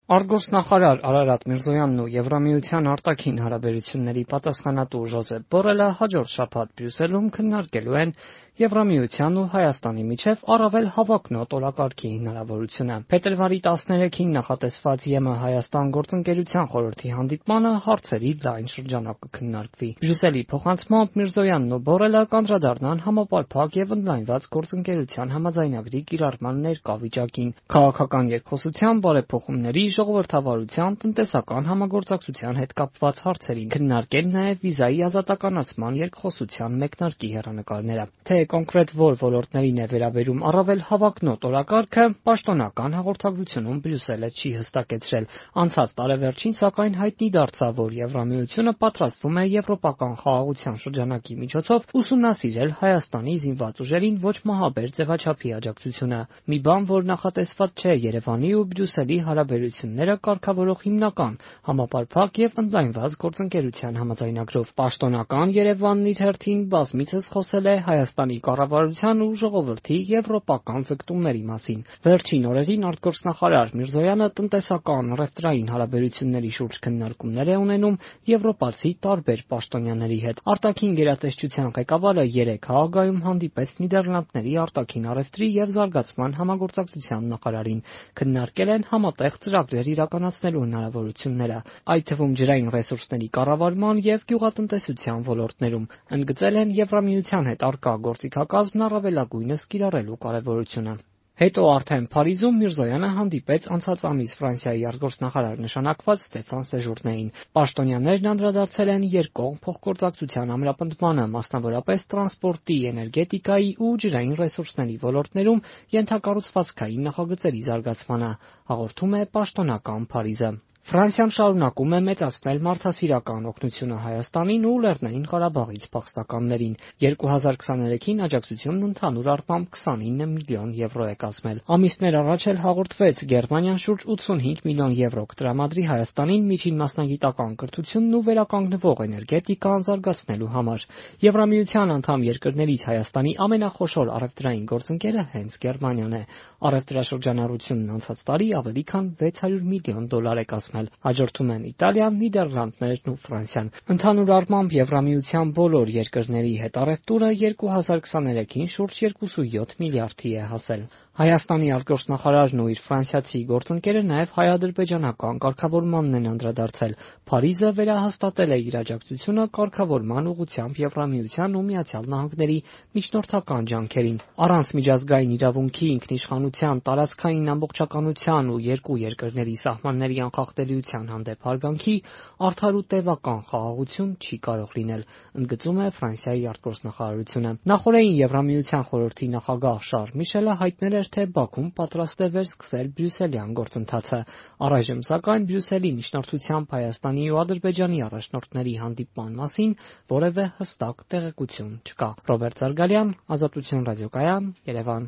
Արտգործնախարար Արարատ Միրզոյանն ու Եվրամիության արտաքին հարաբերությունների պատասխանատու Ժոզեփ Բորելը հաջորդ շաբաթ Բրյուսելում քննարկելու են Եվրամիության ու Հայաստանի միջև առավել հավակնոտ օրակարգի հնարավորությունը։ Փետրվարի 13-ին նախատեսված ԵՄ-Հայաստան գործընկերության խորհրդի հանդիպմանը հարցերի լայն շրջանակ կքննարկվի։ Բրյուսելի փոխանցմամբ Միրզոյանն ու Բորելը կանդրադառնան համապարփակ եւ ընդլայնված գործընկերության համաձայնագրի կիրառման ներկա վիճակին, քաղաքական երկխոսության, բարեփոխումների, ժողովրդավարության, տնտեսական համագործակցության հետ կապված հարցերին, քննարկել նաև վիզայի ազատականացման երկխոսության մեկնարկի հեռանկարները։ Թե կոնկրետ որ ոլորտներին է վերաբերում առավել հավակնոտ օրակարգը, պաշտոնական հաղորդագրությունում Բրյուսելը չի հստակեցրել։ Անցած տարեվերջին, սակայն, հայտնի դարձավ, որ Եվրամիությունը պատրաստվում է եվրոպական խաղաղության շրջանակի միջոցով ուսումնասիրել Հայաստանի զինված ուժերին ոչ մահաբեր ձևաչափի աջակցությունը։ Մի բան, որ նախատեսված չէ Երևանի ու Բրյուսելի հարաբերությունները կարգավորող հիմնական, համապարփակ եւ ընդլայնված գործընկերության համաձայնագրով։ Պաշտոնական Երևանն իր հերթին բազմիցս խոսել է Հայաստանի կառավարության ու ժողովրդի եվրոպական ձգտումների մասին։ Վերջին օրերին արտգործնախարար Միրզոյանը տնտեսական, առևտրային հարաբերությունների շուրջ քննարկումներ է ունենում եվրոպացի տարբեր պաշտոնյաների հետ։ Արտաքին գերատեսչության ղեկավարը 3 Հաագայում հանդիպեց Նիդերլանդների արտաքին առևտրի եւ զարգացման համագործակցության նախարարին։ Քննարկել են համատեղ ծրագրեր իրականացնելու հնարավորությունները, այդ թվում ջրային ռեսուրսների կառավարման եւ գյուղատնտեսության ոլորտներում։ Ընդգծել են Եվրամիության հետ առկա գործիքակազմն առավելագույնս կիրառելու կարեւորությունը։ Հետո արդեն Փարիզում Միրզոյանը հանդիպեց անցած ամիս Ֆրանսիայի արտգործնախարար նշանակված Ստեֆան Սեժուրնեին։ Պաշտոնյաներն անդրադարձել են երկկողմ փոխգործակցության ամրապնդմանը, մասնավորապես տրանսպորտի, էներգետիկայի ու ջրային ռեսուրսների ոլորտներում ենթակառուցվածքային նախագծերի զարգացմանը, հաղորդում է պաշտոնական Փարիզը։ Ֆրանսիան շարունակում է մեծացնել մարդասիրական օգնությունը Հայաստանին ու Լեռնային Ղարաբաղից փախստականներին։ 2023-ին աջակցությունն ընդհանուր առմամբ 29 միլիոն եվրո է կազմել։ Ամիսներ առաջ էլ հաղորդվեց Գերմանիան շուրջ 85 միլիոն եվրո կտրամադրի Հայաստանին միջին մասնագիտական կրթությունն ու վերականգնվող էներգետիկան զարգացնելու համար։ Եվրամիության անդամ երկրներից Հայաստանի ամենախոշոր առևտրային գործընկերը հենց Գերմանիան է։ Առևտրաշրջանառությունն անցած տարի ավելի քան 600 միլիոն դոլար է կազմել։ Հաջորդում են Իտալիան, Նիդերլանդներն ու Ֆրանսիան։ Ընդհանուր առմամբ Եվրամիության բոլոր երկրների հետ առևտուրը 2023-ին շուրջ 2.7 միլիարդի է հասել։ Հայաստանի արտգործնախարարն ու իր ֆրանսիացի գործընկերը նաև հայ-ադրբեջանական կարգավորմանն են անդրադարձել։ Փարիզը վերահաստատել է իր աջակցությունը կարգավորման ուղղությամբ Եվրամիության ու Միացյալ Նահանգների միջնորդական ջանքերին։ Առանց միջազգային իրավունքի, ինքնիշխանության, տարածքային ամբողջականության ու երկու երկրների սահմանների անխախտելիության հանդեպ հարգանքի արդար ու տևական խաղաղություն չի կարող լինել, ընդգծում է Ֆրանսիայի արտգործնախարարությունը։ Նախորդին Եվրամիության խորհրդի նախագահ Շարլ Միշելը հայտնել էր, թե Բաքուն պատրաստ է վերսկսել բրյուսելյան գործընթացը։ Առայժմ, սակայն, Բրյուսելի միջնորդությամբ Հայաստանի ու Ադրբեջանի առաջնորդների հանդիպման մասին որևէ հստակ տեղեկություն չկա։ Ռոբերտ Զարգալյան, Ազատություն ռադիոկայան, Երևան։